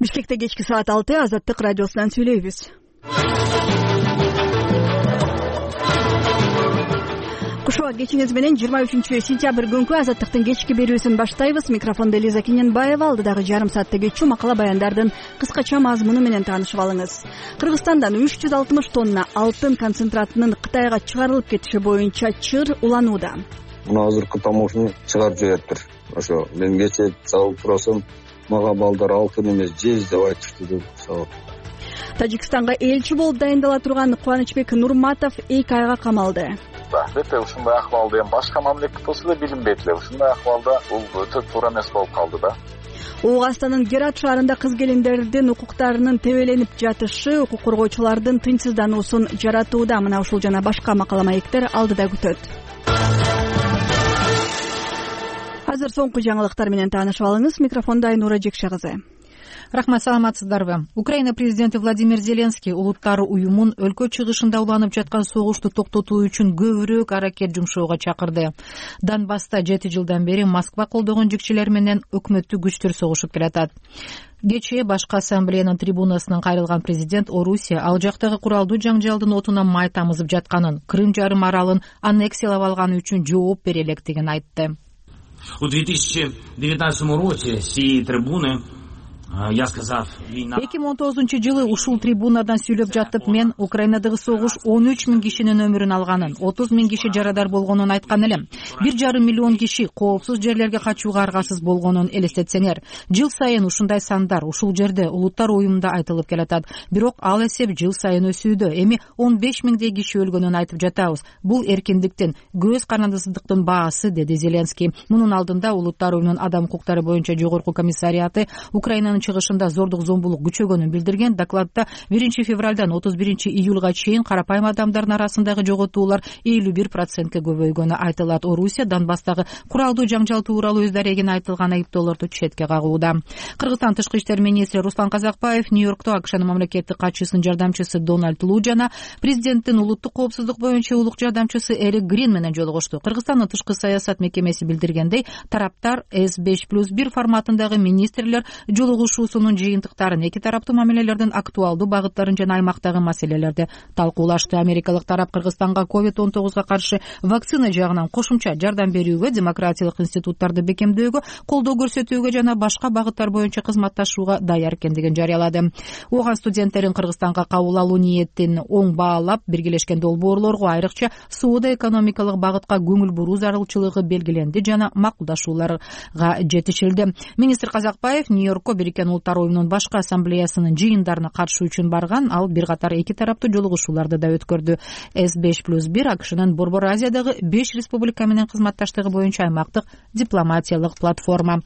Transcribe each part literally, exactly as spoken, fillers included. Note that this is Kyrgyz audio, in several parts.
Бишкекте кечки саат алты Азаттык радиосунан сүйлөйбүз. Кушуа кечиңиз менен жыйырма үчүнчү сентябрь күнкү Азаттыктын кечки берүүсүн баштайбыз. Микрофондо Элиза Кененбаева. Алдыдагы жарым саатта кечүү макала баяндардын кыскача мазмуну менен таанышып алыңыз. Кыргызстандан үч жүз алтымыш тонна алтын концентратынын Кытайга чыгарылып кетиши боюнча чыр уланууда. Мына азыркы тамошун чыгарып жибериптир. Ошо мен кечээ чалып турасам, мага балдар алтын эмес жез деп айтышты деп сабап. Тажикстанга элчи болуп дайындала турган Кубанычбек Нурматов эки айга камалды. Албетте ушундай акыбалда эми башка мамлекет болсо да билинбейт эле. Ушундай акыбалда бул өтө туура эмес болуп калды да. Ооганстанын Герат шаарында кыз-келиндердин укуктарынын тебеленип жатышы укук коргоочулардын тынчсыздануусун жаратууда. Мына ушул жана башка макала маектер алдыда күтөт. Азыр соңку жаңылыктар менен таанышып алыңыз. Микрофондо Айнура Жекше кызы. Рахмат, саламатсыздарбы? Украина президенти Владимир Зеленский улуттар уюмун өлкө чыгышында уланып жаткан согушту токтотуу үчүн көбүрөөк аракет жумшоого чакырды. Донбасста жети жылдан бери Москва колдогон жикчилер менен өкмөттүк күчтөр согушуп келатат. Кечээ башкы ассамблеянын трибунасынан кайрылган президент Орусия ал жактагы куралдуу жаңжалдын отуна май тамызып жатканын, Крым жарым аралын аннексиялап алганы үчүн жооп бере электигин айтты. У две тысячи девятнадцатом роке сии трибуны эки миң он тогузунчу жылы ушул трибунадан сүйлөп жатып мен Украинадагы согуш он үч миң кишинин өмүрүн алганын, отуз миң киши жарадар болгонун айткан элем. бир жарым миллион киши коопсуз жерлерге качууга аргасыз болгонун элестетсеңер. Жыл сайын ушундай сандар ушул жерде улуттар уюмунда айтылып келатат. Бирок ал эсеп жыл сайын өсүүдө. Эми он беш миңдей киши өлгөнүн айтып жатабыз. Бул эркиндиктин, көз карандысыздыктын баасы, деди Зеленский. Мунун алдында улуттар уюмунун адам укуктары боюнча жогорку комиссариаты Украинанын чыгышында зордук зомбулук күчөгөнүн билдирген. Докладда биринчи февралдан отуз биринчи июлга чейин карапайым адамдардын арасындагы жоготуулар элүү бир процентке көбөйгөнү айтылат. Орусия Донбасстагы куралдуу жаңжал тууралуу өз дарегине айтылган айыптоолорду четке кагууда. Кыргызстан тышкы иштер министри Руслан Казакбаев Нью-Йоркто АКШнын мамлекеттик катчысынын жардамчысы Дональд Лу жана президенттин улуттук коопсуздук боюнча улук жардамчысы Эрик Грин менен жолугушту. Кыргызстандын тышкы саясат мекемеси билдиргендей, тараптар эс беш плюс бир форматындагы министрлер жолугушуусунун жыйынтыктарын, эки тараптуу мамилелердин актуалдуу багыттарын жана аймактагы маселелерди талкуулашты. Америкалык тарап Кыргызстанга ковид он тогузга каршы вакцина жагынан кошумча жардам берүүгө, демократиялык институттарды бекемдөөгө, колдоо көрсөтүүгө жана башка багыттар боюнча кызматташууга даяр экендигин жарыялады. Ооган студенттерин Кыргызстанга кабыл алуу ниетин оң баалап, биргелешкен долбоорлорго, айрыкча соода-экономикалык багытка көңүл буруу зарылчылыгы белгиленди жана макулдашууларга жетишилди. Министр Казакбаев Нью-Йоркко Бириккен Улуттар уюмунун башкы ассамблеясынын жыйындарына катышуу үчүн барган. Ал бир катар эки тараптуу жолугушууларды да өткөрдү. эс беш плюс бир АКШнын Борбор Азиядагы беш республика менен кызматташтыгы боюнча аймактык дипломатиялык платформа.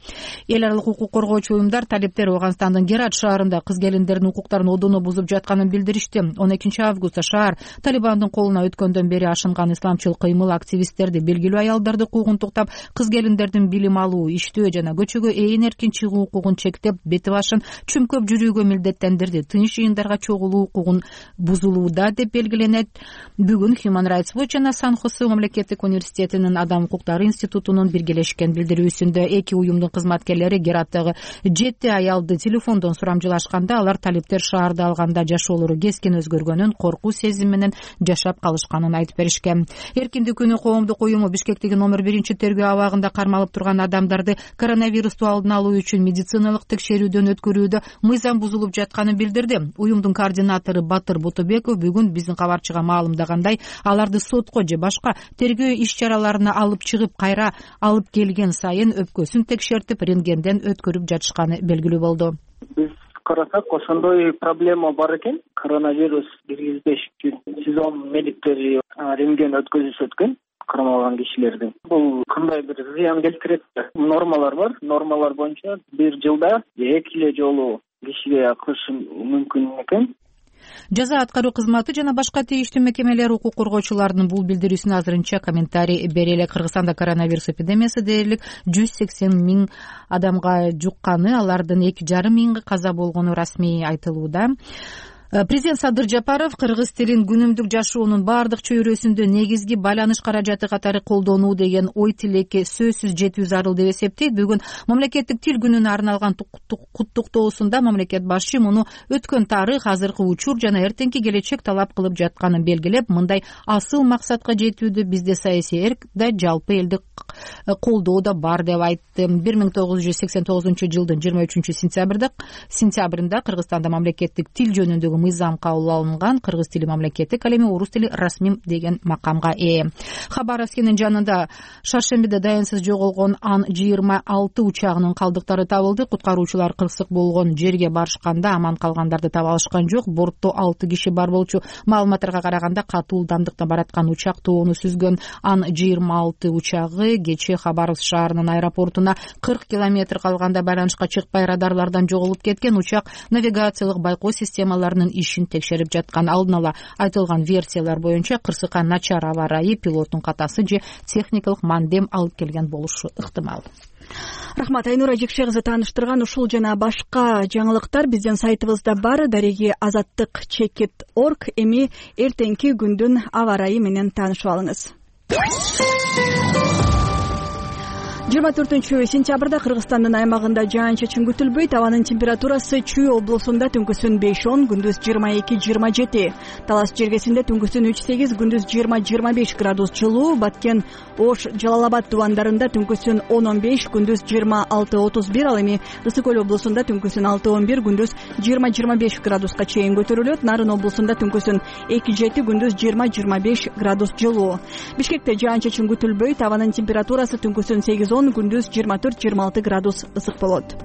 Эл аралык укук коргоочу уюмдар талиптер Ооганстандын Герат шаарында кыз-келиндердин укуктарын одоно бузуп жатканын билдиришти. он экинчи августта шаар Талибандын колуна өткөндөн бери ашынган исламчыл кыймыл активисттерди, белгилүү аялдарды куугунтуктап, кыз-келиндердин билим алуу, иштөө жана көчөгө ээн эркин чыгуу укугун чектеп, бети башын чүмкөп жүрүүгө милдеттендирди. Тынч жыйындарга чогулуу укугун бузулууда деп белгиленет. Бүгүн Human Rights Watch жана Сан-Хосе мамлекеттик университетинин Адам укуктары институтунун биргелешкен билдирүүсүндө эки уюмдун кызматкерлери Гераттагы жети аялды телефондон сурамжылашканда, алар талиптер шаарда алганда жашоолору кескин өзгөргөнүн, коркуу сезими менен жашап калышканын айтып беришкен. Эркиндик күнү коомдук уюму Бишкектеги номер биринчи тергөө абагында кармалып турган адамдарды коронавирусту алдын алуу үчүн медициналык текшерүүдөн өткөрүүдө мыйзам бузулуп жатканын билдирди. Уюмдун координатору Батыр Бутубеков бүгүн биздин кабарчыга маалымдагандай, аларды сотко же башка тергөө иш-чараларына алып чыгып, кайра алып келген сайын өпкөсүн текшертип, рентгенден өткөрүп жатышканы белгилүү болду. Биз карасак, ошондой проблема бар экен. Коронавирус киргизбеш үчүн сезон медиктери рентген өткөзүшүп өткөн кармалган кишилердин. Бул кандай бир зыян келтирет? Нормалар бар. Нормалар боюнча бир жылда эки эле жолу кишиге кылышы мүмкүн экен. Жаза аткаруу кызматы жана башка тийиштүү мекемелер укук коргоочуларынын бул билдирүүсүнө азырынча комментарий бере элек. Кыргызстанда коронавирус эпидемиясы дээрлик жүз сексен миң адамга жукканы, алардын эки жарым миңи каза болгону расмий айтылууда. Президент Садыр Жапаров кыргыз тилин күнүмдүк жашоонун баардык чөйрөсүндө негизги байланыш каражаты катары колдонуу деген ой тилекке сөзсүз жетүү зарыл деп эсептейт. Бүгүн мамлекеттик тил күнүнө арналган куттуктоосунда мамлекет башчы муну өткөн тарых, азыркы учур жана эртеңки келечек талап кылып жатканын белгилеп, мындай асыл максатка жетүүдө бизде саясий эрк да, жалпы элдик колдоо да бар деп айтты. бир миң тогуз жүз сексен тогузунчу жылдын жыйырма үчүнчү сентябрда сентябрында Кыргызстанда мамлекеттик тил жөнүндөгү мыйзам кабыл алынган. Кыргыз тили мамлекеттик, ал эми орус тили расмий деген макамга ээ. Хабар Аскенин жанында шаршембиде даянсыз жоголгон Ан жыйырма алты учагынын калдыктары табылды. Куткаруучулар кырсык болгон жерге барышканда аман калгандарды таба алышкан жок. Бортто алты киши бар болчу. Маалыматтарга караганда катуу ылдамдыкта бараткан учак тоону сүзгөн. Ан жыйырма алты учагы кечээ Хабаровск шаарынын аэропортуна кырк километр калганда байланышка чыкпай радарлардан жоголуп кеткен. Учак навигациялык байкоо системаларынын ишин текшерип жаткан. Алдын ала айтылган версиялар боюнча кырсыкка начар аба ырайы, пилоттун катасы же техникалык мандем алып келген болушу ыктымал. Рахмат, Айнура Жекше кызы тааныштырган ушул жана башка жаңылыктар биздин сайтыбызда бар. Дареги азаттык чекит точка орг. Эми эртеңки күндүн аба ырайы менен таанышып алыңыз. жыйырма төртүнчү сентябрда Кыргызстандын аймагында жаан-чачын күтүлбөйт. Абанын температурасы Чүй облусунда түнкүсүн беш он, күндүз жыйырма эки жыйырма жети. Талас жергесинде түнкүсүн үч сегиз, күндүз жыйырма жыйырма беш градус жылуу. Баткен, Ош, Жалал-Абад тубандарында түнкүсүн он он беш, күндүз жыйырма алты отуз бир. Ал эми Ысык көл облусунда түнкүсүн алты он бир, күндүз жыйырма жыйырма беш градуска чейин көтөрүлөт. Нарын облусунда түнкүсүн эки жети, күндүз жыйырма жыйырма беш градус жылуу. Бишкекте жаан-чачын күтүлбөйт. Абанын температурасы түнкүсүн сегиз он, күндүз жыйырма төрт жыйырма алты градус ысык болот.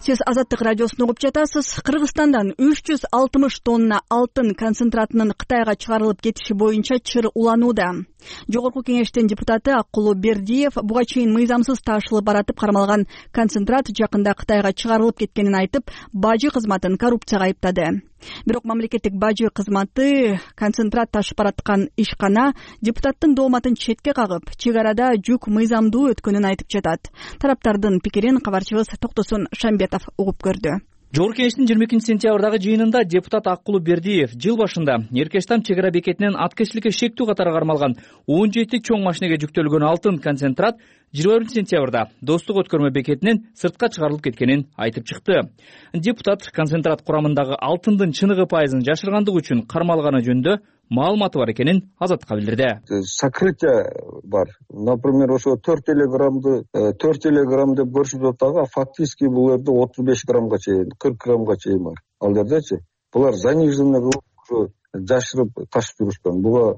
Сиз Азаттык радиосун угуп жатасыз. Кыргызстандан үч жүз алтымыш тонна алтын концентратынын Кытайга чыгарылып кетиши боюнча чыр уланууда. Жогорку кеңештин депутаты Аккулу Бердиев буга чейин мыйзамсыз ташылып баратып кармалган концентрат жакында Кытайга чыгарылып кеткенин айтып, бажы кызматын коррупцияга айыптады. Бирок мамлекеттик бажы кызматы концентрат ташып бараткан ишкана депутаттын дооматын четке кагып, чек арада жүк мыйзамдуу өткөнүн айтып жатат. Тараптардын пикирин кабарчыбыз Токтосун Шамбетов угуп көрдү. Жогорку кеңештин жыйырма экинчи сентябрдагы жыйынында депутат Аккулу Бердиев жыл башында Эркештам чек ара бекетинен аткечиликке шектүү катары кармалган он жети чоң машинеге жүктөлгөн алтын концентрат жыйырма биринчи сентябрда Достук өткөрмө бекетинен сыртка чыгарылып кеткенин айтып чыкты. Депутат концентрат курамындагы алтындын чыныгы пайызын жашыргандык үчүн кармалганы жөнүндө маалыматы бар экенин Азаттыкка билдирди. Сокрытие бар. Например, ошо төрт эле граммды төрт эле грамм деп көрсөтүп атат, а фактически бул жерде отуз беш граммга чейин, кырк граммга чейин бар. Ал жердечи булар заниженный кылып ошо жашырып ташып жүрүшкөн. Буга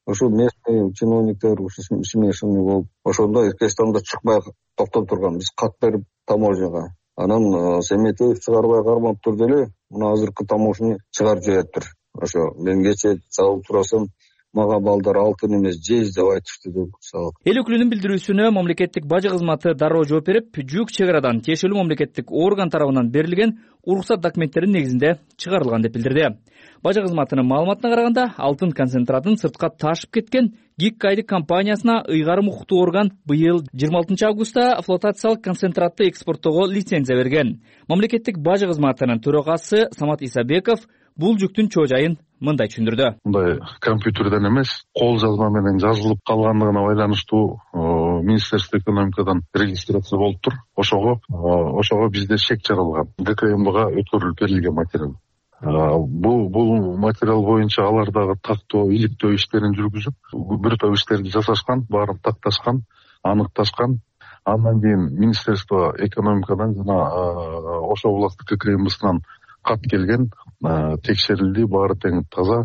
ошо местный чиновниктер ушул смешанный болуп, ошондо Эркештамда чыкпай токтоп турган. Биз кат берип таможняга. Анан Семетеев чыгарбай кармап турду эле. Мына азыркы таможня чыгарып жибериптир. Ошо мен кечээ чалып турасам, мага балдар алтын эмес жез деп айтышты деп салып. Эл өкүлүнүн билдирүүсүнө мамлекеттик бажы кызматы дароо жооп берип, жүк чек арадан тиешелүү мамлекеттик орган тарабынан берилген уруксат документтеринин негизинде чыгарылган деп билдирди. Бажы кызматынын маалыматына караганда, алтын концентратын сыртка ташып кеткен ГИК айдык компаниясына ыйгарым укуктуу орган быйыл жыйырма алтынчы августта флотациялык концентратты экспорттоого лицензия берген. Мамлекеттик бажы кызматынын төрагасы Самат Исабеков бул жүктүн чоо жайын мындай түшүндүрдү. Мындай компьютерден эмес, кол жазма менен жазылып калгандыгына байланыштуу Министерство экономикадан регистрация болуптур. Ошого ошого бизде чек жаралган. ГКМБга өткөрүлүп берилген материал. Бул бул материал боюнча алар дагы тактоо, иликтөө иштерин жүргүзүп, бир топ иштерди жасашкан, баарын такташкан, аныкташкан. Андан кийин Министерство экономикадан жана Ош областтык ККМБсынан кат келген, текшерилди, баары тең таза,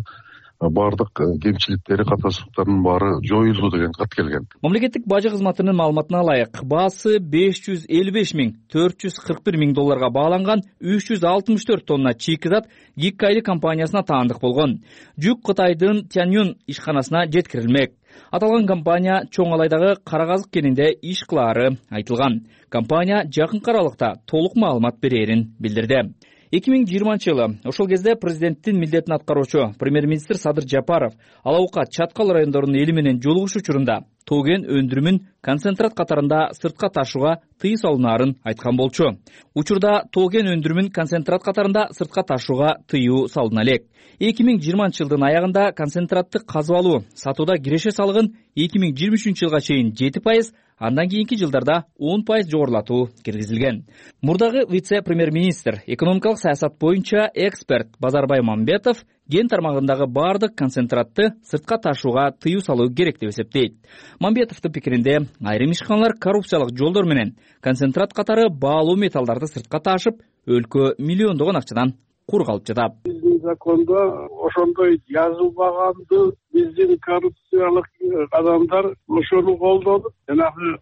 баардык кемчиликтери, катасыздыктарынын баары жоюлду деген кат келген. Мамлекеттик бажы кызматынын маалыматына ылайык, баасы беш жүз элүү беш миң төрт жүз кырк бир миң долларга бааланган үч жүз алтымыш төрт тонна чийкизат ГИК айдык компаниясына таандык болгон. Жүк Кытайдын Тяньюн ишканасына жеткирилмек. Аталган компания чоң алайдагы Кара Казык кенинде иш кылаары айтылган. Компания жакынкы аралыкта толук маалымат берерин билдирди. эки миң жыйырманчы жылы ошол кезде президенттин милдетин аткаруучу премьер-министр Садыр Жапаров Ала Укат, Чаткал райондорунун эли менен жолугушуу учурунда тоо кен өндүрүмүн концентрат катарында сыртка ташууга тыюу салынаарын айткан болчу. Учурда тоо кен өндүрүмүн концентрат катарында сыртка ташууга тыюу салына элек. эки миң жыйырманчы жылдын аягында концентратты казып алуу, сатууда киреше салыгын эки миң жыйырма үчүнчү жылга чейин жети пайыз, андан кийинки жылдарда он пайыз жогорулатуу киргизилген. Мурдагы вице-премьер-министр, экономикалык саясат боюнча эксперт Базарбай Мамбетов кен тармагындагы баардык концентратты сыртка ташууга тыюу салуу керек деп эсептейт. Мамбетовдун пикиринде, айрым ишканалар коррупциялык жолдор менен концентрат катары баалуу металлдарды сыртка ташып, өлкө миллиондогон акчадан кур калып жатат. Биздин закондо ошондой жазылбаганды биздин коррупциялык адамдар ошону колдонуп, жанагы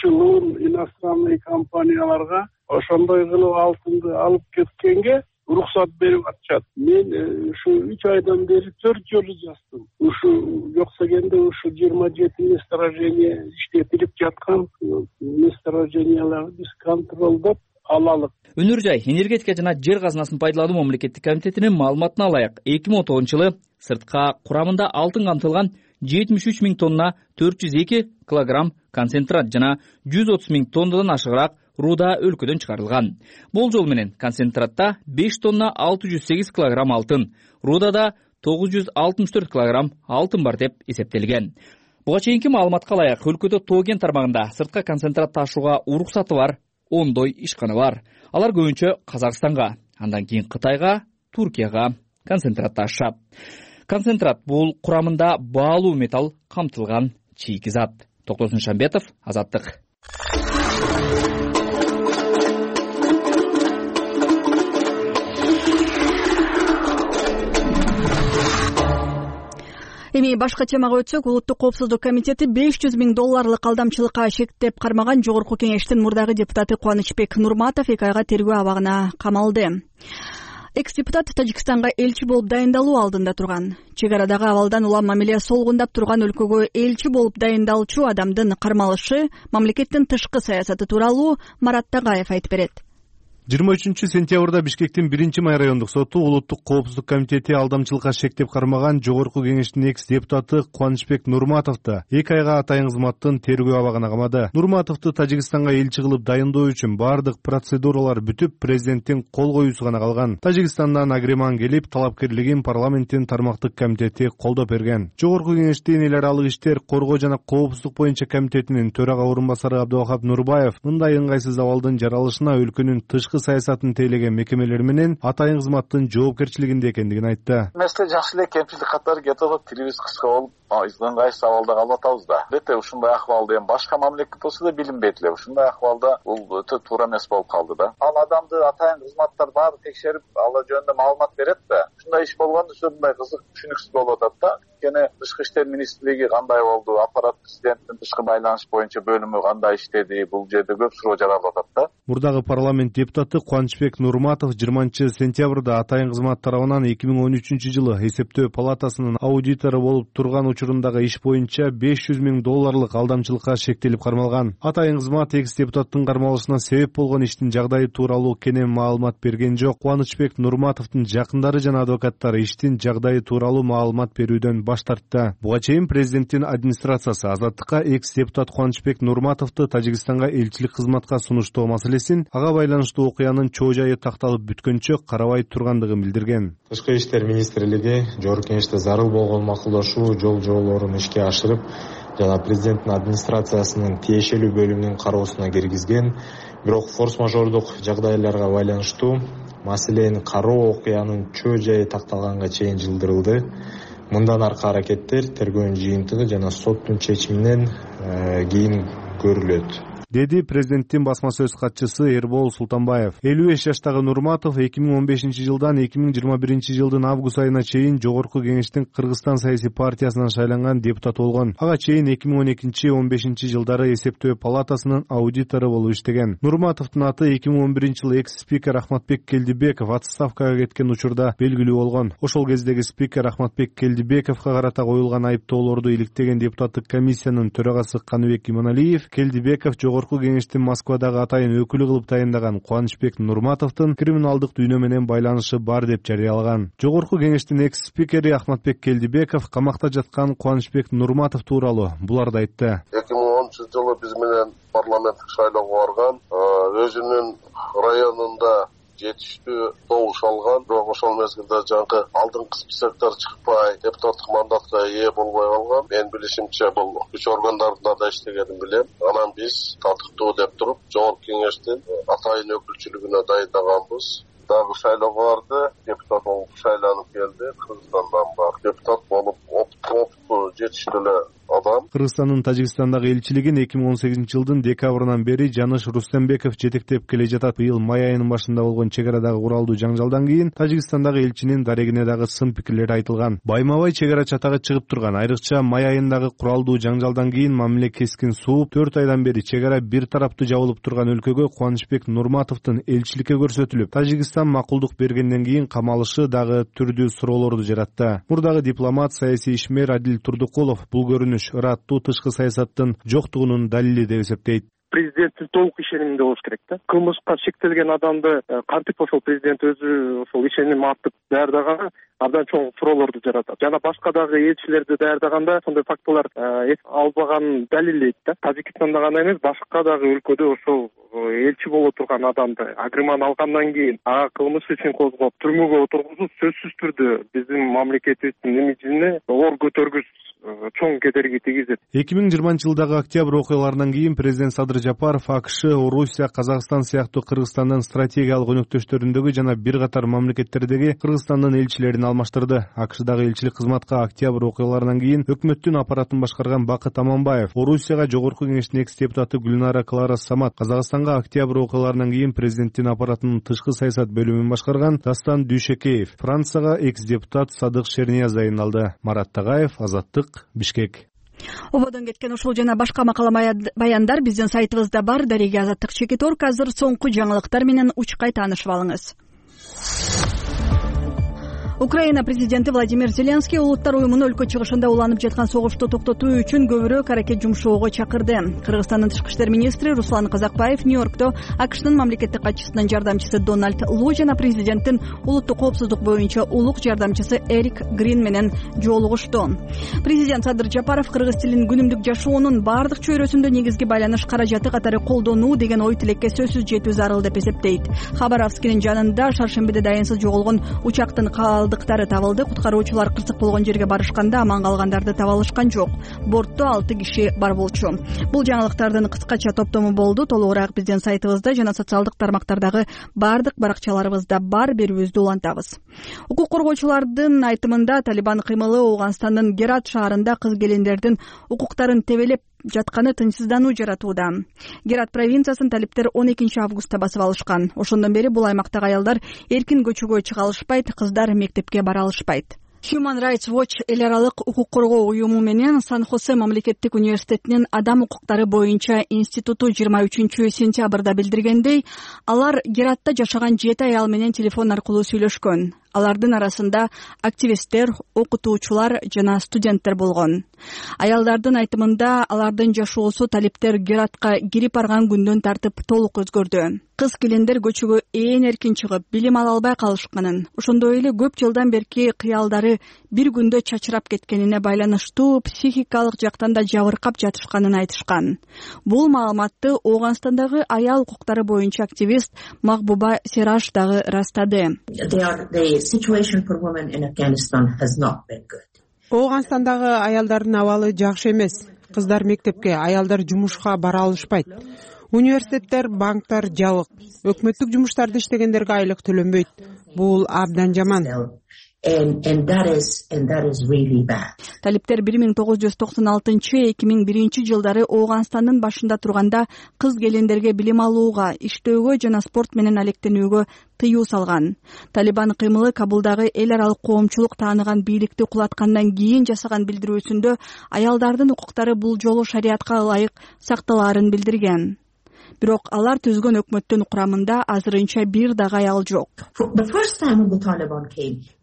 шылуун иностранный компанияларга ошондой кылып алтынды алып кеткенге уруксат берип атышат. Мен ушу үч айдан бери төрт жолу жаздым. Ушу жокса дегенде ушу жыйырма жети месторождение иштетилип жаткан месторожденияларды биз контролдоп алалык. Өнөр жай энергетика жана жер казынасын пайдалануу мамлекеттик комитетинин маалыматына ылайык, эки миң он тогузунчу жылы сыртка курамында алтын камтылган жетимиш үч миң тонна төрт жүз эки килограмм концентрат жана жүз отуз миң тоннадан ашыгыраак рууда өлкөдөн чыгарылган. Болжол менен концентратта беш тонна алты жүз сегиз килограмм алтын, руудада тогуз жүз алтымыш төрт килограмм алтын бар деп эсептелген. Буга чейинки маалыматка ылайык, өлкөдө тоо кен тармагында сыртка концентрат ташууга уруксаты бар ондой ишкана бар. Алар көбүнчө Казакстанга, андан кийин Кытайга, Туркияга концентрат ташышат. Концентрат бул курамында баалуу металл камтылган чийки зат. Токтосун Шамбетов, Азаттык. Эми башка темага өтсөк, Улуттук коопсуздук комитети беш жүз миң долларлык алдамчылыкка шектеп кармаган Жогорку кеңештин мурдагы депутаты Кубанычбек Нурматов эки айга тергөө абагына камалды. Экс-депутат Тажикстанга элчи болуп дайындалуу алдында турган. Чек арадагы абалдан улам мамиле солгундап турган өлкөгө элчи болуп дайындалчу адамдын кармалышы мамлекеттин тышкы саясаты тууралуу Марат Тагаев айтып берет. жыйырма үчүнчү сентябрда Бишкектин биринчи май райондук соту Улуттук коопсуздук комитети алдамчылыкка шектеп кармаган Жогорку кеңештин экс-депутаты Кубанычбек Нурматовду эки айга атайын кызматтын тергөө абагына камады. Нурматовду Тажикстанга элчи кылып дайындоо үчүн баардык процедуралар бүтүп, президенттин кол коюусу гана калган. Тажикстандан агреман келип, талапкерлигин парламенттин тармактык комитети колдоп берген. Жогорку кеңештин эл аралык иштер, коргоо жана коопсуздук боюнча комитетинин төрага орун басары Абдывахап Нурбаев мындай ыңгайсыз абалдын жаралышына өлкөнүн тышкы саясатын тейлеген мекемелер менен атайын кызматтын жоопкерчилигинде экендигин айтты. Месте жакшы эле кемчилик катары кетип атат, тилибиз кыска болуп, ыңгайсыз абалда калып атабыз да. Бете ушундай акыбалда эми башка мамлекет болсо да билинбейт эле. Ушундай акыбалда бул өтө туура эмес болуп калды да. Ал адамды атайын кызматтар баары текшерип, ала жөнүндө маалымат берет да. Ушундай иш болгондо мындай кызык, түшүнүксүз болуп атат да. Кene Тышкы иштер министрлиги кандай болду, аппарат президенттин тышкы байланыш боюнча бөлүмү кандай иштеди, бул жерде көп суроо жаралып атат да. Мурдагы парламент депутаты Кубанычбек Нурматов жыйырманчы сентябрда атайын кызмат тарабынан эки миң он үчүнчү жылы эсептөө палатасынын аудитору болуп турган учурундагы иш боюнча беш жүз миң долларлык алдамчылыкка шектелип кармалган. Атайын кызмат экс-депутаттын кармалышына себеп болгон иштин жагдайы тууралуу кенен маалымат берген жок. Кубанычбек Нурматовдун жакындары жана адвокаттары иштин жагдайы тууралуу маалымат берүүдөн баш тартты. Буга чейин президенттин администрациясы Азаттыкка экс-депутат Кубанычбек Нурматовду Тажикстанга элчилик кызматка сунуштоо маселесин, ага байланыштуу окуянын чоо жайы такталып бүткөнчө карабай тургандыгын билдирген. Тышкы иштер министрлиги Жогорку кеңеште зарыл болгон макулдашуу жол жоболорун ишке ашырып жана президенттин администрациясынын тиешелүү бөлүмүнүн кароосуна киргизген. Бирок форс-мажордук жагдайларга байланыштуу маселени кароо окуянын чоо жайы такталганга чейин жылдырылды. Мындан аркы аракеттер тергөөнүн жыйынтыгы жана соттун чечиминен кийин көрүлөт, деди президенттин басма сөз катчысы Эрбол Султанбаев. элүү беш жаштагы Нурматов эки миң он бешинчи жылдан эки миң жыйырма биринчи жылдын август айына чейин Жогорку кеңештин Кыргызстан саясий партиясынан шайланган депутат болгон. Ага чейин эки миң он экинчи он бешинчи жылдары эсептөө палатасынын аудитору болуп иштеген. Нурматовдун аты эки миң он биринчи жылы экс-спикер Ахматбек Келдибеков отставкага кеткен учурда белгилүү болгон. Ошол кездеги спикер Ахматбек Келдибековго карата коюлган айыптоолорду иликтеген депутаттык комиссиянын төрагасы Каныбек Иманалиев Келдибеков Жогорку кеңештин Москвадагы атайын өкүлү кылып тайындаган Кубанычбек Нурматовдун криминалдык дүйнө менен байланышы бар деп жарыялаган. Жогорку кеңештин экс-спикери Ахматбек Келдибеков камакта жаткан Кубанычбек Нурматов тууралуу буларды айтты. эки миң онунчу жылы биз менен парламенттик шайлоого барган, өзүнүн районунда жетиштүү добуш алган, бирок ошол мезгилде жаңы алдыңкы списоктор чыкпай, депутаттык мандатка ээ болбой калган. Мен билишимче бул күч органдарында да иштегенин билем. Анан биз татыктуу деп туруп, Жогорку кеңештин атайын өкүлчүлүгүнө дайындаганбыз. Дагы шайлоого барды, депутат болуп шайланып келди. Кыргызстандан бар депутат болуп, опыттуу жетиштүү эле адам. Кыргызстандын Тажикстандагы элчилигин эки миң он сегизинчи жылдын декабрынан бери Жаныш Рустембеков жетектеп келе жатат. Быйыл май айынын башында болгон чек арадагы куралдуу жаңжалдан кийин Тажикстандагы элчинин дарегине дагы сын пикирлер айтылган. Байма-бай чек ара чатагы чыгып турган. Айрыкча май айындагы куралдуу жаңжалдан кийин мамиле кескин сууп, төрт айдан бери чек ара бир тараптуу жабылып турган өлкөгө Кубанычбек Нурматовдун элчиликке көрсөтүлүп, Тажикстан макулдук бергенден кийин камалышы дагы түрдүү суроолорду жаратты. Мурдагы дипломат, саясий ишмер Адил Турдукулов бул көрүнүш ыраттуу тышкы саясаттын жоктугунун далили деп эсептейт. Президенттин толук ишениминде болуш керек да. Кылмышка шектелген адамды кантип ошол президент өзү ошол ишеним артып даярдаганы абдан чоң суроолорду жаратат. Жана башка дагы элчилерди даярдаганда ошондой фактылар эс албаганын далилдейт да. Тажикстанда гана эмес, башка дагы өлкөдө ошол элчи боло турган адамды агрыман алгандан кийин ага кылмыш ишин козгоп түрмөгө отургузуу сөзсүз түрдө биздин мамлекетибиздин имиджине оор көтөргүс чоң кедерги тийгизет. эки миң жыйырманчы жылдагы октябрь окуяларынан кийин президент Садыр Жапаров АКШ, Орусия, Казакстан сыяктуу Кыргызстандын стратегиялык өнөктөштөрүндөгү жана бир катар мамлекеттердеги Кыргызстандын элчилерин алмаштырды. АКШдагы элчилик кызматка октябрь окуяларынан кийин өкмөттүн аппаратын башкарган Бакыт Аманбаев, Орусияга Жогорку кеңештин экс-депутаты Гүлнара Клара Самат, Казакстанга октябрь окуяларынан кийин президенттин аппаратынын тышкы саясат бөлүмүн башкарган Дастан Дүйшекеев, Францияга экс-депутат Садык Шернияз дайындалды. Марат Тагаев, Азаттык, Бишкек. Ободон кеткен ушул жана башка макала баяндар биздин сайтыбызда бар. Дареги Азаттык Чекиторг. Азыр соңку жаңылыктар менен учкай таанышып алыңыз. Украина президенти Владимир Зеленский улуттар уюмуну өлкө чыгышында уланып жаткан согушту токтотуу үчүн көбүрөөк аракет жумшоого чакырды. Кыргызстандын тышкы иштер министри Руслан Казакбаев Нью-Йоркто АКШнын мамлекеттик катчысынын жардамчысы Дональд Лу жана президенттин улуттук коопсуздук боюнча улук жардамчысы Эрик Грин менен жолугушту. Президент Садыр Жапаров кыргыз тилин күнүмдүк жашоонун баардык чөйрөсүндө негизги байланыш каражаты катары колдонуу деген ой тилекке сөзсүз жетүү зарыл деп эсептейт. Хабаровскинин жанында шаршембиде дайынсыз жоголгон учактын калдыктары табылды. Куткаруучулар кырсык болгон жерге барышканда аман калгандарды таба алышкан жок. Бортто алты киши бар болчу. Бул жаңылыктардын кыскача топтому болду. Толугураак биздин сайтыбызда жана социалдык тармактардагы баардык баракчаларыбызда бар, берүүбүздү улантабыз. Укук коргоочулардын айтымында Талибан кыймылы Ооганстандын Герат шаарында кыз-келиндердин укуктарын тебелеп жатканы тынчсыздануу жаратууда. Герат провинциясын талиптер он экинчи августта басып алышкан. Ошондон бери бул аймактагы аялдар эркин көчөгө чыга алышпайт, кыздар мектепке бара алышпайт. Human Rights Watch эл аралык укук коргоо уюму менен Сан-Хосе мамлекеттик университетинин адам укуктары боюнча институту жыйырма үчүнчү сентябрда билдиргендей, алар Гератта жашаган жети аял менен телефон аркылуу сүйлөшкөн. Алардын арасында активисттер, окутуучулар жана студенттер болгон. Аялдардын айтымында алардын жашоосу талиптер Гератка кирип барган күндөн тартып толук өзгөрдү. Кыз-келиндер көчөгө ээн эркин чыгып, билим ала албай калышканын, ошондой эле көп жылдан берки кыялдары бир күндө чачырап кеткенине байланыштуу психикалык жактан да жабыркап жатышканын айтышкан. Бул маалыматты Ооганстандагы аял укуктары боюнча активист Махбуба Сераш дагы растады. Ооганстандагы аялдардын абалы жакшы эмес. Кыздар мектепке, аялдар жумушка бара алышпайт. Университеттер, банктар жабык. Өкмөттүк жумуштарда иштегендерге айлык төлөнбөйт. Бул абдан жаман. Талиптер бир миң тогуз жүз токсон алтынчы эки миң биринчи жылдары Ооганстандын башында турганда кыз-келиндерге билим алууга, иштөөгө жана спорт менен алектенүүгө тыюу салган. Талибан кыймылы Кабулдагы эл аралык коомчулук тааныган бийликти кулаткандан кийин жасаган билдирүүсүндө аялдардын укуктары бул жолу шариатка ылайык сакталаарын билдирген. Бирок алар түзгөн өкмөттүн курамында азырынча бир дагы аял жок.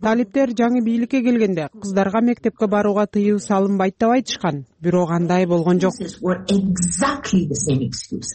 Талиптер жаңы бийликке келгенде кыздарга мектепке барууга тыюу салынбайт деп айтышкан, бирок андай болгон жок.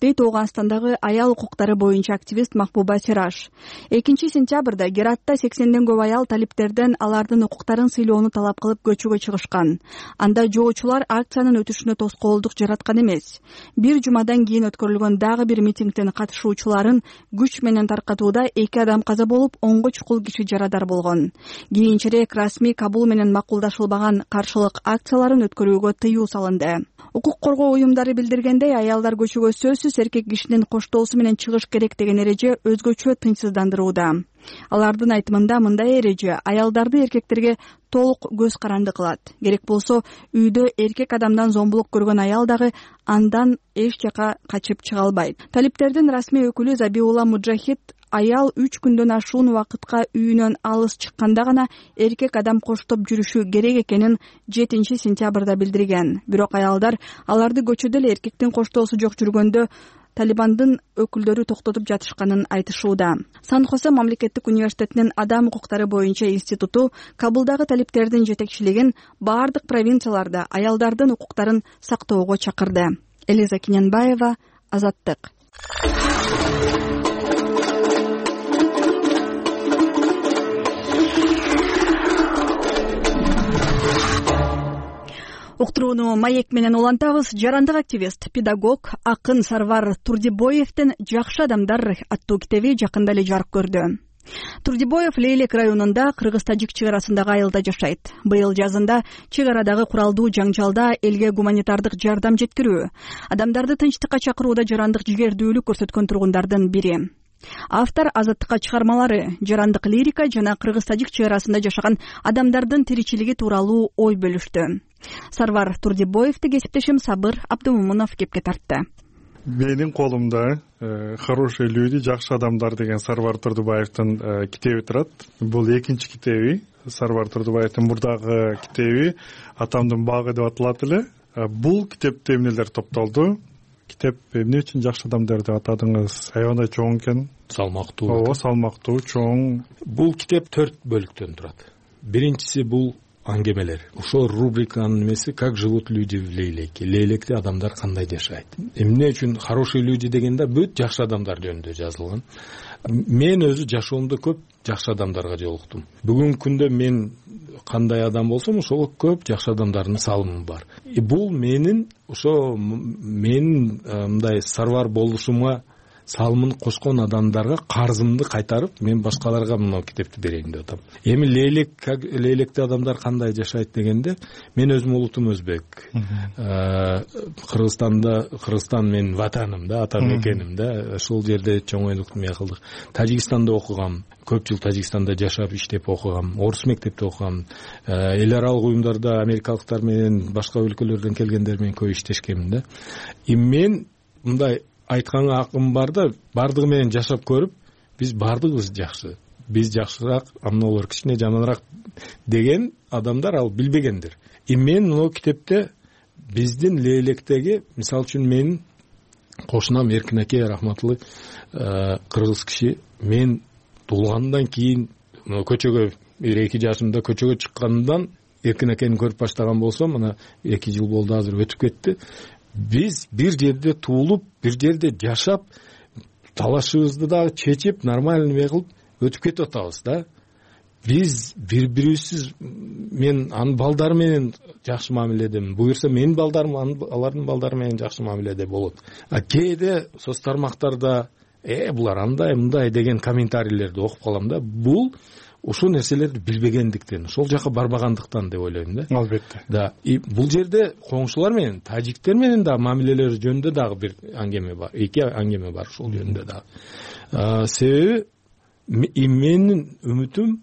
Дейт Ооганстандагы аял укуктары боюнча активист Махбуба Сираш. экинчи сентябрда Гератта сексенден көп аял талиптерден алардын укуктарын сыйлоону талап кылып көчөгө чыгышкан. Анда жоочулар акциянын өтүшүнө тоскоолдук жараткан эмес. Бир жумадан кийин өткөрүлгөн дагы бир митингдин катышуучуларын күч менен таркатууда эки адам каза болуп, онго чукул киши жарадар болгон. Кийинчерээк расмий Кабул менен макулдашылбаган каршылык акцияларын өткөрүүгө тыюу салынды. Укук коргоо уюмдары билдиргендей, аялдар көчөгө сөзсүз эркек кишинин коштоосу менен чыгыш керек деген эреже өзгөчө тынчсыздандырууда. Алардын айтымында мындай эреже аялдарды эркектерге толук көз каранды кылат. Керек болсо үйдө эркек адамдан зомбулук көргөн аял дагы андан эч жака качып чыга албайт. Талиптердин расмий өкүлү Забиулла Муджахид аял үч күндөн ашуун убакытка үйүнөн алыс чыкканда гана эркек адам коштоп жүрүшү керек экенин жетинчи сентябрда билдирген. Бирок аялдар аларды көчөдө эле эркектин коштоосу жок жүргөндө Талибандын өкүлдөрү токтотуп жатышканын айтышууда. Сан-Хосе мамлекеттик университетинин адам укуктары боюнча институту Кабулдагы талиптердин жетекчилигин баардык провинцияларда аялдардын укуктарын сактоого чакырды. Элиза Кинянбаева, Азаттык. Уктурууну маек менен улантабыз. Жарандык активист, педагог, акын Сарвар Турдибоевдин «Жакшы адамдар» аттуу китеби жакында эле жарык көрдү. Турдибоев Лейлек районунда кыргыз-тажик чек арасындагы айылда жашайт. Быйыл жазында чек арадагы куралдуу жаңжалда элге гуманитардык жардам жеткирүү, адамдарды тынчтыкка чакырууда жарандык жигердүүлүк көрсөткөн тургундардын бири. Автор азаттыкка чыгармалары, жарандык лирика жана кыргыз-тажик чек арасында жашаган адамдардын тиричилиги тууралуу ой бөлүштү. Сарвар Турдибоевди кесиптешим Сабыр Абдымомунов кепке тартты. Менин колумда «Хорошие люди, жакшы адамдар» деген Сарвар Турдубаевдин китеби турат. Бул экинчи китеби. Сарвар Турдубаевдин мурдагы китеби «Атамдын багы» деп аталат эле. Бул китепте эмнелер топтолду? Китеп эмне үчүн жакшы адамдар деп атадыңыз? Аябай чоң экен. Салмактуу. Ооба, салмактуу, чоң. Бул китеп төрт бөлүктөн турат. Биринчиси бул аңгемелер. Ошол рубриканын эмеси «Как живут люди в Лейлеке». Лейлекте адамдар кандай жашайт. Эмне үчүн «Хорошие люди» дегенде бүт жакшы адамдар жөнүндө жазылган. Мен өзү жашоомдо көп жакшы адамдарга жолуктум. Бүгүнкү күндө мен кандай адам болсом, ошого көп жакшы адамдардын салымы бар. И бул менин ошо менин мындай Сарвар болушума салымын кошкон адамдарга карзымды кайтарып, мен башкаларга мына китепти берейин деп атам. Эми Лейлек, Лейлекте адамдар кандай жашайт дегенде, мен өзүм улутум өзбек. Кыргызстанда, Кыргызстан менин ватаным да, ата мекеним да, ошол жерде чоңойдук эме кылдык. Тажикстанда окугам, көп жыл Тажикстанда жашап, иштеп окугам, орус мектепте окугам. Эл аралык уюмдарда америкалыктар менен, башка өлкөлөрдөн келгендер менен көп иштешкемин да. И мен мындай айтканга акым бар да, бардыгы менен жашап көрүп, биз бардыгыбыз жакшы. Биз жакшыраак, амнолор кичине жаманыраак деген адамдар ал билбегендир. И мен мына китепте биздин Лейлектеги, мисалы үчүн менин кошунам Эркин аке рахматтуу кыргыз киши, мен туулгандан кийин көчөгө эки жашымда көчөгө чыккандан Эркин акени көрүп баштаган болсом, мына эки жыл болду, азыр өтүп кетти. Биз бир жерде туулуп, бир жерде жашап, талашыбызды дагы чечип, нормальный эме кылып өтүп кетип атабыз да. Биз бири-бирибизсиз, мен анын балдары менен жакшы мамиледемин. Буюрса менин балдарым алардын балдары менен жакшы мамиледе болот. А кээде соц тармактарда э булар андай мындай деген комментарийлерди окуп калам да. Бул ошол нерселерди билбегендиктен, ошол жака барбагандыктан деп ойлойм да. Албетте. Да, и бул жерде коңшулар менен, тажиктер менен да мамилелер жөнүндө дагы бир аңгеме бар. Эки аңгеме бар ошол жөнүндө дагы. Себеби менин үмүтүм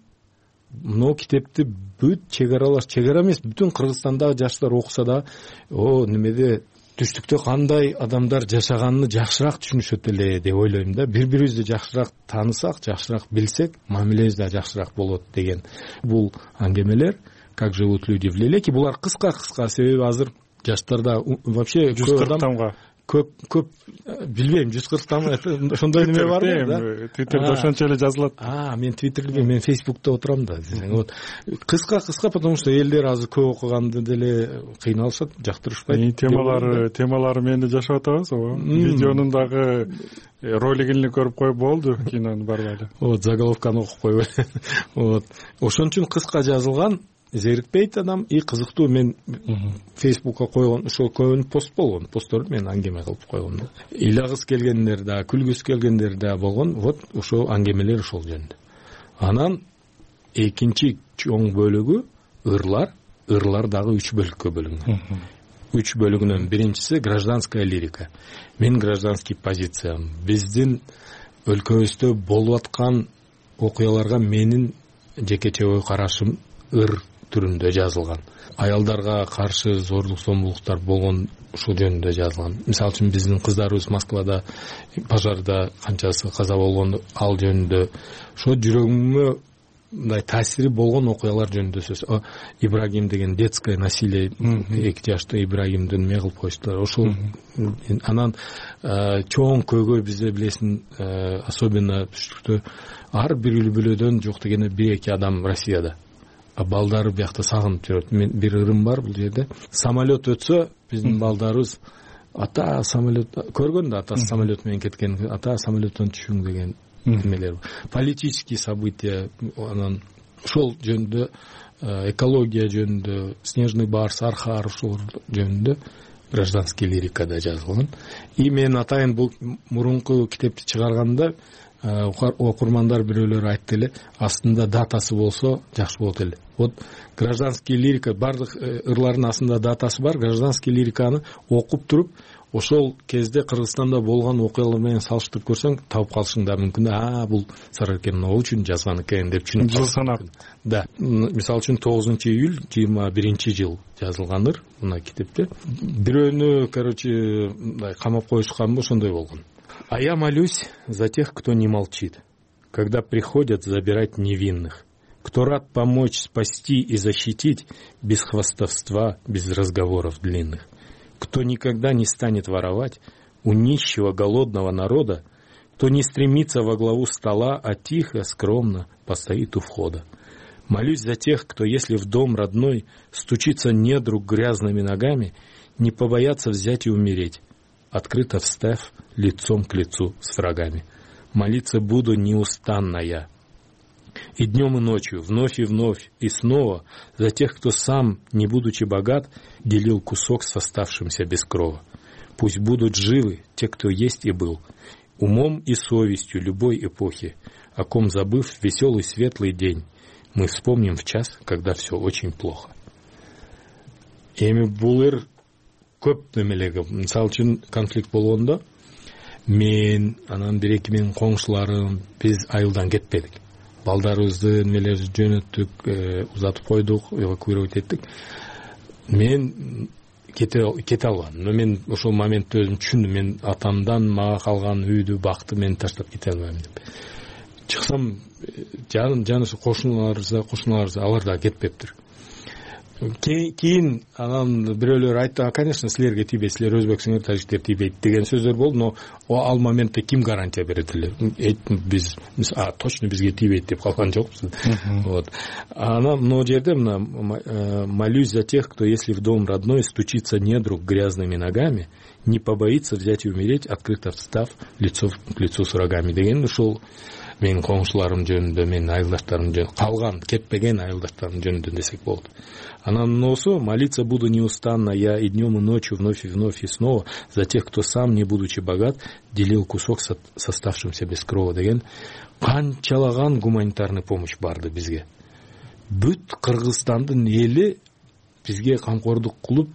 мына китепти бүт чек аралаш, чек ара эмес, бүтүн Кыргызстандагы жаштар окуса да, о немеде түштүктө кандай адамдар жашаганын жакшыраак түшүнүшөт эле деп ойлойм да. Бири-бирибизди жакшыраак таанысак, жакшыраак билсек, мамилебиз да жакшыраак болот деген. Бул аңгемелер «Как живут люди в Лейлеке». Булар кыска-кыска, себеби азыр жаштарда вообще жүз кырк томго көп көп билбейм жүз кырктан ошондой неме барбы да твиттерде ошончо эле жазылат. А мен твиттерде мен фейсбукта отурам да десең вот кыска кыска потому что элдер азыр көп окуганды деле кыйналышат жактырышпайт. темалары темалары менде жашап атабыз ооба видеонун дагы ролигин эле көрүп коюп болду кинонун барбай эле вот заголовканы окуп койбой вот ошон үчүн кыска жазылган зерикпейт адам и кызыктуу. Мен фейсбукка койгон ошол көбүн пост болгон постторду мен аңгеме кылып койгом да ыйлагысы келгендер да күлгүсү келгендер да болгон. Вот ошол аңгемелер ошол жөнүндө. Анан экинчи чоң бөлүгү ырлар ырлар дагы үч бөлүккө бөлүнгөн. Үч бөлүгүнүн биринчиси гражданская лирика. Мен гражданский позициям биздин өлкөбүздө болуп аткан окуяларга менин жекече ой карашым ыр түрүндө жазылган. Аялдарга каршы зордук зомбулуктар болгон ушул жөнүндө жазылган. Мисалы үчүн биздин кыздарыбыз Москвада пожарда канчасы каза болгон ал жөнүндө ошо жүрөгүмө мындай таасири болгон окуялар жөнүндө сөз. Ибрагим деген детское насилие эки жаштуу Ибрагимди неме кылып коюштулар. Ошол анан чоң көйгөй бизде билесиң особенно түштүктө ар бир үй бүлөдөн жок дегенде бир эки адам Россияда. Балдары биякта сагынып жүрөт. Мен бир ырым бар бул жерде. Самолет өтсө биздин балдарыбыз ата самолет көргөн да атасы самолет менен кеткен, ата самолеттон түшүң деген немелер. Политические события анан ошол жөнүндө экология жөнүндө снежный барс, архар ошол жөнүндө гражданский лирикада жазылган. И мен атайын бул мурунку китепти чыгарганда окурмандар бирөөлөр айтты эле астында датасы болсо жакшы болот эле. Вот гражданский лирика бардык ырлардын астында датасы бар. Гражданский лириканы окуп туруп ошол кезде Кыргызстанда болгон окуялар менен салыштырып көрсөң таап калышың да мүмкүн. А бул Сарыаркен могу үчүн жазган экен деп түшүнүп жыл санап. Да. Мисалы үчүн тогузунчу июль жыйырма биринчи жыл жазылганыр мына китепте. Бирөөнү короче мындай камап коюшканбы ошондой болгон. А я молюсь за тех, кто не молчит, когда приходят забирать невинных, кто рад помочь, спасти и защитить без хвастовства, без разговоров длинных, кто никогда не станет воровать у нищего голодного народа, кто не стремится во главу стола, а тихо, скромно постоит у входа. Молюсь за тех, кто, если в дом родной стучится недруг грязными ногами, не побоятся взять и умереть, открыто встав лицом к лицу с врагами. Молиться буду неустанно я. И днем, и ночью, вновь и вновь, и снова за тех, кто сам, не будучи богат, делил кусок с оставшимся без крова. Пусть будут живы те, кто есть и был, умом и совестью любой эпохи, о ком, забыв веселый светлый день, мы вспомним в час, когда все очень плохо. Эми бул ыр көп немелеги, мисалы үчүн конфликт болгондо мен анан бир эки менин коңшуларым биз айылдан кетпедик. Балдарыбызды немелерди жөнөттүк, узатып койдук, эвакуировать эттик. Мен кете кете албадым. Но мен ошол моментте өзүм түшүндүм. Мен атамдан мага калган үйдү, бакты мен таштап кете албайм деп. Чыксам жаным жанысы кошуналарыбыз, кошуналарыбыз алар да кетпептир. Кийин анан бирөөлөр айтты, конечно, силерге тийбейт, силер өзбексиңер, тажиктер тийбейт деген сөздөр болду, но ал моментте ким гарантия берет эле? Биз а точно бизге тийбейт деп калган жокпуз. Вот. Анан могу жерде мына молюсь за тех, кто, если в дом родной стучится недруг грязными ногами, не побоится взять и умереть, открыто встав лицом к лицу с врагами деген ушул менин коңшуларым жөнүндө, менин айылдаштарым жөнүндө, калган кетпеген айылдаштарым жөнүндө десек болот. Анан носу молиться буду неустанно я и днем и ночью, вновь и вновь и снова за тех, кто сам, не будучи богат, делил кусок с оставшимся без крова деген канчалаган гуманитарный помощь барды бизге. Бүт Кыргызстандын эли бизге камкордук кылып,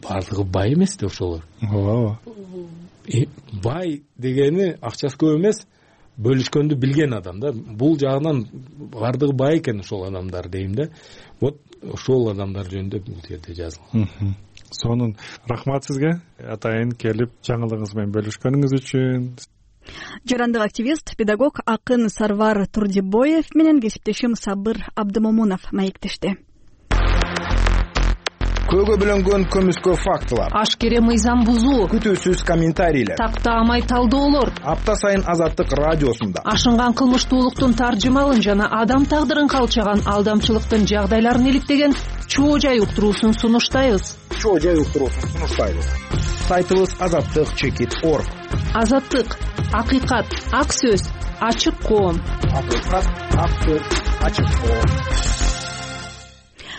бардыгы бай эмес да ошолор. Ооба. Бай дегени акчасы көп эмес, бөлүшкөндү билген адам да. Бул жагынан бардыгы бай экен ошол адамдар дейм да. Вот ошол адамдар жөнүндө бул жерде жазылган. Сонун рахмат сизге атайын келип жаңылыгыңыз менен бөлүшкөнүңүз үчүн. Жарандык активист, педагог акын Сарвар Турдибоев менен кесиптешим Сабыр Абдымомунов маектешти. көөгө бөлөнгөн көмүскө фактылар, ашкере мыйзам бузуу, күтүүсүз комментарийлер, тактаамай талдоолор апта сайын Азаттык радиосунда ашынган кылмыштуулуктун таржымалын жана адам тагдырын калчаган алдамчылыктын жагдайларын иликтеген чоо жай уктуруусун сунуштайбыз. чоо жай уктуруусун сунуштайбыз. Сайтыбыз азаттык чекит орг. Азаттык, акыйкат, ак сөз, ачык коом. Акыйкат, ак сөз, ачык коом.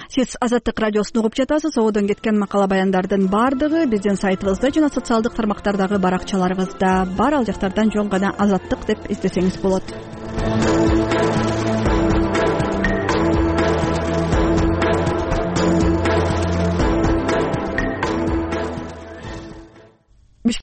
Сиз Азаттык радиосун угуп жатасыз. Одон кеткен макала баяндардын баардыгы биздин сайтыбызда жана социалдык тармактардагы баракчаларыбызда бар. Ал жактардан жөн гана Азаттык деп издесеңиз болот.